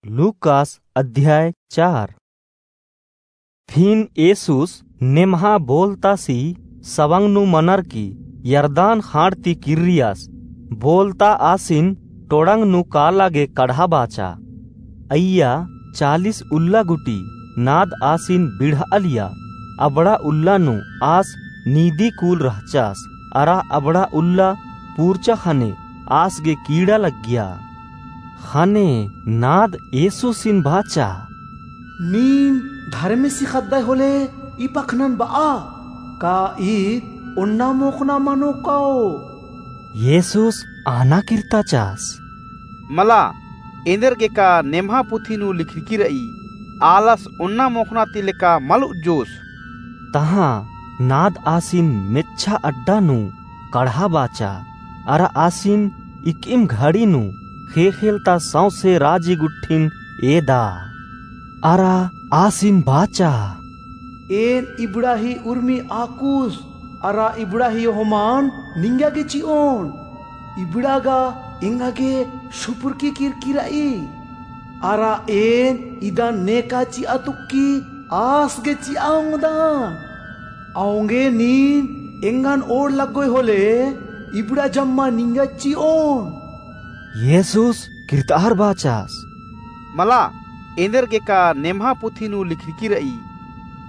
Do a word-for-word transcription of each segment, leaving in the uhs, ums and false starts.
लूकास अध्याय चार। फिन येसुस नेम्हा बोलतासी सवंग नू मनर की यरदान खाँड़ ती किर्रियास, बोलता आसिन टोड़ंग नू काला गे कड़हा बाचा। अइय्या चालीस उल्ला गुटी नाद आसिन बिड़ह'आलिया। अबड़ा उल्ला नू आस नीदी कूल रहचास, अरा अबड़ा उल्ला पूरचा ख़ने आस गे कीड़ा लग्गिया। ख़ने नाद येसुसिन बाचा, नीन धर्मेसी ख़द्दय होले ई पखनन ब'आ, का ईद ओन्ना मोख़ना मनो काओ? येसुस आना किर्ताचास, मला, एन्देरगेका नेम्हा पुथी नू लिखरकी र'ई, आलस ओन्ना मोख़ना ती लेका मल उज्जोस। तहाँ नाद आसिन मेच्छा अड्डा नू कड़हा बाचा, अरा आसिन इकिम घड़ी नू ख़ेख़ेल ता सौंसे राजी गुट्ठिन एदा। अरा आसिन बाचा, एन इबड़ा ही उर्मी आकुस, अरा इबड़ा ही ओहमन निंगा गे चि'ओन। इबड़ा गा एंगा गे सुपुरकी किरकी र'ई। अरा एन इदन नेका चि'आ तुक्की आस गे चि'आ ओंगदन। औंगे नीन एंगन ओड़ लग्गोय होले, इबड़ा जम्मा निंगा चि'ओन। येसुस किर्तार बाचास, मला, एन्देरगेका नेम्हा पुथी नू लिखरकी र'ई,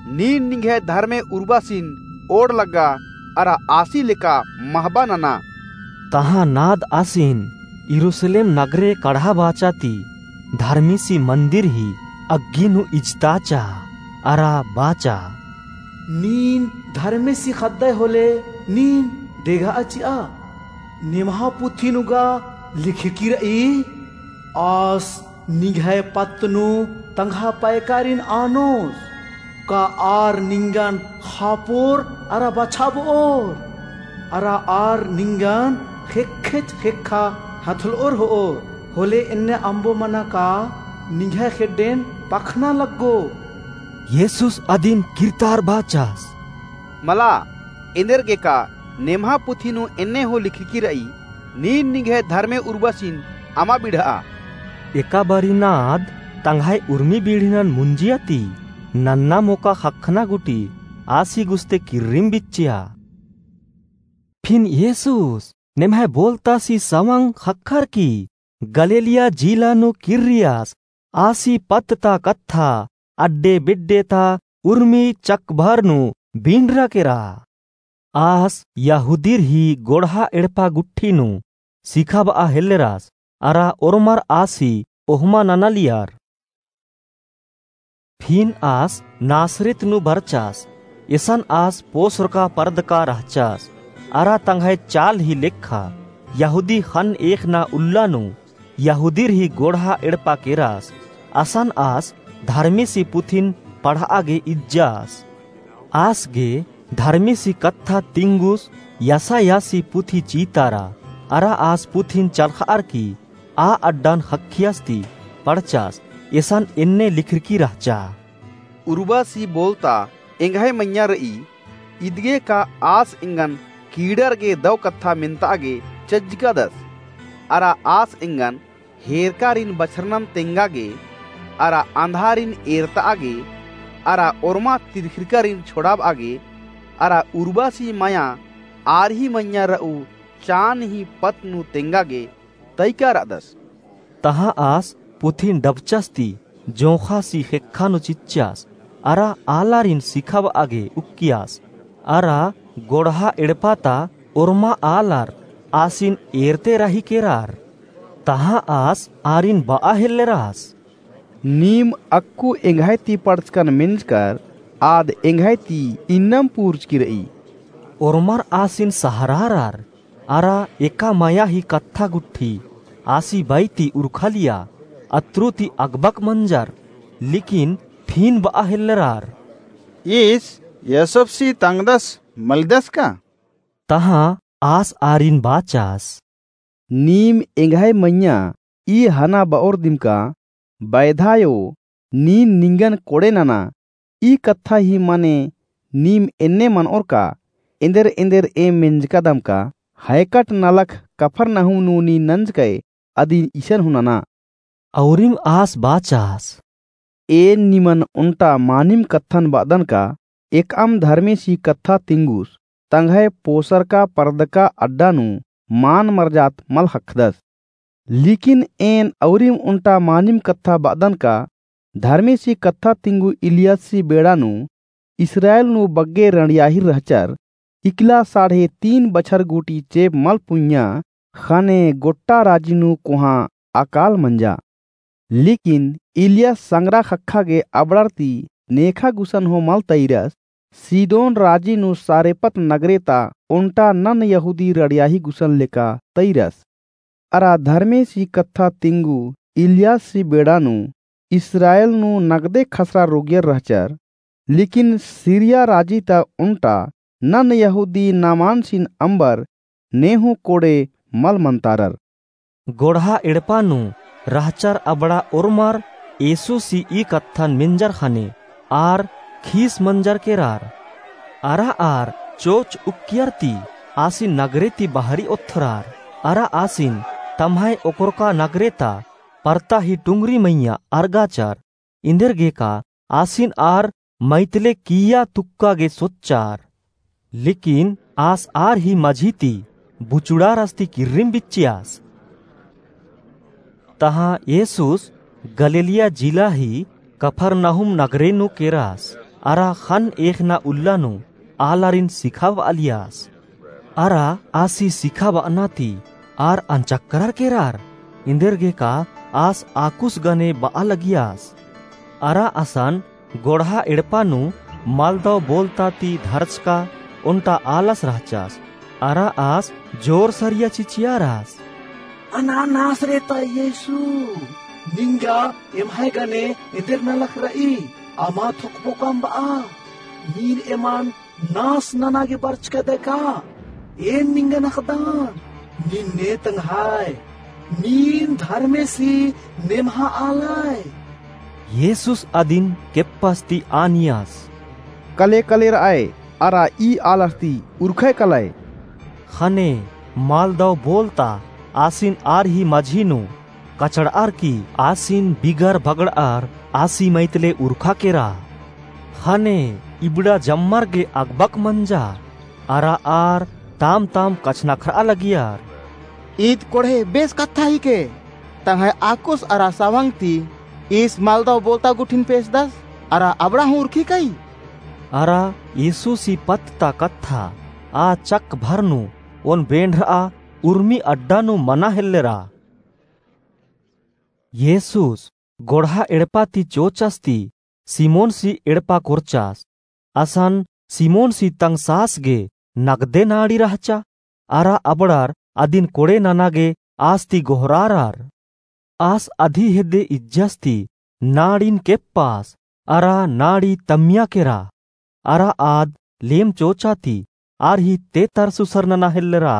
नीन निंग्है धर्मे उर्बासिन ओड़ लग्गा, अरा आसी लेका महबा नना। तहाँ नाद आसिन यरूसलेम नगरे कड़हा बाचा ती धर्मेसी मंदिर ही अग्गी नू इजताचा, अरा बाचा, नीन धर्मेसी ख़द्दय होले नीन डेग'आ चि'आ। नेम्हा पुथी नू गा लिखरकी र'ई, आस निंग्है पत्त नू तंग्हा पैकारिन आनोस, का आर निंगन ख़ापोर अरा बछाब'ओर, अरा आर निंगन ख़ेक्खेच ख़ेक्खा हथल'ओर हो'ओर। होले एन्ने अम्बो मना का निंग्है ख़ेड्डेन पखना लग्गो। येसुस अदिन किर्तार बाचास, मला, एन्देरगेका नेम्हा पुथी नू एन्ने हूँ लिखरकी र'ई, नीन निंग्है धर्मे उर्बासिन अमा बिड़'आ। एका बारी नाद तंग्है उर्मी बीड़ीनन मुंजिया ती नन्ना मोका ख़क्खना गुटी आसी गुस्ते किर्रिम बिच्चिया। फिन येसुस नेम्है बोलतासी सवंग ख़क्खर की गलीलिया जिला नू किर्रियास। आसी पत्त ता कत्था अड्डे बिड्डे ता उर्मी चकभर नू बिंडरा केरा। आस यहूदीर ही गोड़हा एड़पा गुट्ठी नू सिखाब'आ हेल्लेरास, अरा ओर्मर आसी ओहमा ननालियर। फिन आस नासरित नू बरचास। एसन आस पोसरका परदका रहचास, अरा तंग्है चाल ही लेखा यहूदी ख़न्न एख़ना उल्ला नू यहूदीर ही गोड़हा एड़पा केरास। असन आस धर्मेसी पुथिन पढ़'आ गे इज्जास। आस गे धर्मेसी कत्था तिंगुस यसायासी पुथी चीतारा, अरा आस पुथिन चलख़'अर की आ अड्डन ख़क्खियास ती पढ़चास। एसन एन्ने लिखरकी रहचा, उर्बासी बोलता एंग्है मइय्याँ र'ई, इदगे का आस एंगन कीड़ार गे दौ कत्था मेन्ता'आ गे चज्जकादस। अरा आस एंगन हेरकारिन बछरनन तेंगा गे, अरा अंधारिन एरता'आ गे, अरा ओर्मा तिरखिरकारिन छोड़ाब'आ गे, अरा उर्बासी मइय्याँ आर ही मइय्याँ र'ऊ चान ही पत्त नू तेंगा गे तइका र'अदस। तहाँ आस पुथिन डबचास ती जोंख़ासी ख़ेक्खा नू चिच्चास, अरा आलारिन सिखाब'आ गे उक्कियास। अरा गोड़हा एड़पा ता ओर्मा आलर आसिन एरते र'ई केरार। तहाँ आस आरिन ब'आ हेल्लेरास, नीम अक्कु एंग्है ती पढ़चकन मेंजकर आद एंग्है ती इन्नम पूर्चकी र'ई। ओर्मर आसिन सहरारर, अरा एका मइय्याँ ही कत्था गुट्ठी आसी बाई ती उरखालिया, अत्रु ती अगबक मंजर, लेकिन फिन ब'आ हेल्लेरार, ईस यसोबसी तंगदस मलदस का? तहाँ आस आरिन बाचास, नीम एंग्है मइय्याँ ई हना ब'ओर दिम का, बैधायो, नीन निंगन कोड़े नना। ई कत्था ही मने नीम एन्ने मन'ओर का, एन्देर एन्देर एम मेंजकादम का, हैकट नलख कफरनहूम नू नीन नंजकय, अदिन इसन हूँ नना। अउरिम आस बाचास। एन निमन ओन्टा मानिम कत्थन बअदन का एकअम धर्मेसी कत्था तिंगुस तंग्है पोसरका परदका अड्डा नू मान मरजात मल ख़क्खदस। लिकिन एन अउरिम ओन्टा मानिम कत्था बअदन का धर्मेसी कत्था तिंगु इलियासी बेड़ा नू इस्राएल नू बग्गे रंड़ियाहिर रहचर इकला साढ़े तीन बछर गूटी चेंप मल पुंइया ख़ने गोट्टा राजी नू कोहाँ अकाल मंजा। लिकिन इलियास संगरा ख़क्खा गे अबड़र ती नेखा गुसन हूँ मल तइरस, सीदोन राजी नू सारेपत नगरे ता ओन्टा नन यहूदी रड़ियाही गुसन लेका तइरस। अरा धर्मेसी कत्था तिंगु इलियासी बेड़ा नू इस्राएल नू नगदे खसरा रोगियर रहचर, लिकिन सीरिया राजी ता ओन्टा नन यहूदी नामानसिन अम्बर ने हूँ कोड़े मल मन्तारर। गोड़हा एड़पा नू रहचर अबड़ा ओर्मर येसुसी ई कत्थन मेंजर ख़ने आर खीस मंजर केरर। अरा आर चोच उक्कियर ती आसिन नगरे ती बहरी ओथ्रर। अरा आसिन तम्है ओकरका नगरे ता परता ही टुंगरी मइय्याँ अरगाचर। इन्देरगेका आसिन आर मइतले किइय्या तुक्का गे सोच्चर। लेकिन आस आर ही मझी ती बुचुड़ारस ती किर्रिम बिच्चियस। तहाँ येसुस गलीलिया जिला ही कफरनहूम नगरे नू केरस। अरा ख़न्न एकना उल्ला नू आलारिन सिखाबआलियस। अरा आसी सिखाबअना ती आर अंचक्करर केरर। इन्देरगेका आस आकुस गने बआ लगियस। अरा असन गोड़हा एड़पा नू मलदव बोलता ती धरचका ओन्टा आलस रहचस। अरा आस जोर सरिया चिचियारस। अना नासरेता येसु, निंगा एम्है गने एन्देर नलख रई, अमा थोकबोकम बआ। नीन एमन नास नना गे बरचकदय का? एन निंगन अख़दन, नीन ने तंग्हय, नीन धर्मेसी नेम्हा आलय। येसुस अदिन केप्पस ती आनियस। कले कले रअय, अरा ई आलर ती उरखय कलय। ख़ने मलदव बोलता आसिन आर ही मझी नू कचड़अर की आसिन बिगर बगड़अर आसी मइतले उरखा केरा। ख़ने इबड़ा जम्मर गे अगबक मंजा, अरा आर ताम ताम कछनखरआ लगियर। ईद कोड़हे बेस कत्था हिके, तंग्है आकुस अरा सवंग ती ईस मलदव बोलता गुट्ठिन पेसदस, अरा अबड़ा हूँ उरखी कई। अरा येसुसी पत्त ता कत्था आ चक भर नू ओन बेंड़रआ उर्मी अड्डा नू मना हेल्लेरा। येसुस गोड़हा एड़पा ती चोचस ती सिमोनसी एड़पा कोरचस। असन सिमोनसी तंग सास गे नगदे नाड़ी रहचा, अरा अबड़र अदिन कोड़े नना गे आस ती गोहरारर। आस अदी हेद्दे इज्जस ती नाड़िन केप्पस, अरा नाड़ी तम्मिया केरा, अरा आद लेम चोचा ती आर ही तेतर सुसर नना हेल्लेरा।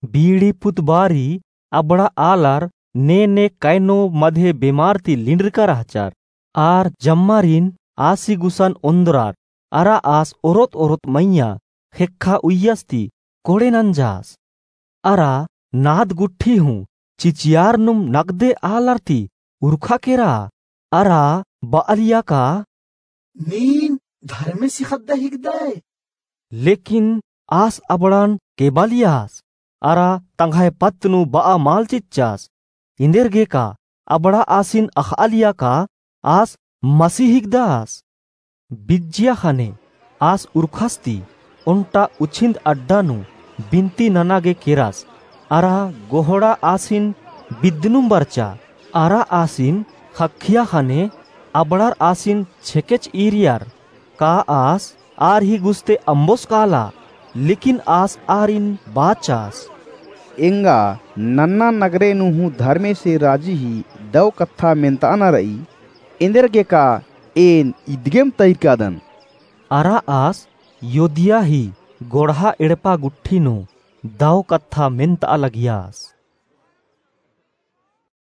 बीड़ी पुत बारी अबड़ा आलर ने ने कैनो मधे बेमार ती लिंड्रका रहचर। आर जम्मारिन आसी गुसन ओन्द्रर, अरा आस ओरोत ओरोत मइय्याँ ख़ेक्खा उइय्यस ती कोड़े नंजस। अरा नाद गुट्ठी हूँ चिचियारनुम नगदे आलर ती उरखा केरा, अरा बअलिया का, नीन धर्मेसी ख़द्द हिकदय। लेकिन आस अबड़न केबालियस, अरा तंग्है पत्त नू बआ मल चिच्चस। इन्देरगेका अबड़ा आसिन अख़आलिया का आस मसीह हिकदस। बिज्जिया ख़ने आस उरखस ती ओन्टा उछिन्द अड्डा नू बिन्ती नना गे केरस, अरा गोहड़ा आसिन बिद्दनुम बरचा। अरा आसिन ख़क्खिया ख़ने अबड़र आसिन छेकेच ईरियर, का आस आर ही गुस्ते अम्बोस काला। लेकिन आस आरिन बाचस, एंगा नन्ना नगरे नू हूँ धर्मेसे राजी ही दव कत्था मेन्ताअना रई, एन्देरगेका एन इदगेम तइरकादन। अरा आस योदिया ही गोड़हा एड़पा गुट्ठी नू दव कत्था मेन्ताआ लगियस।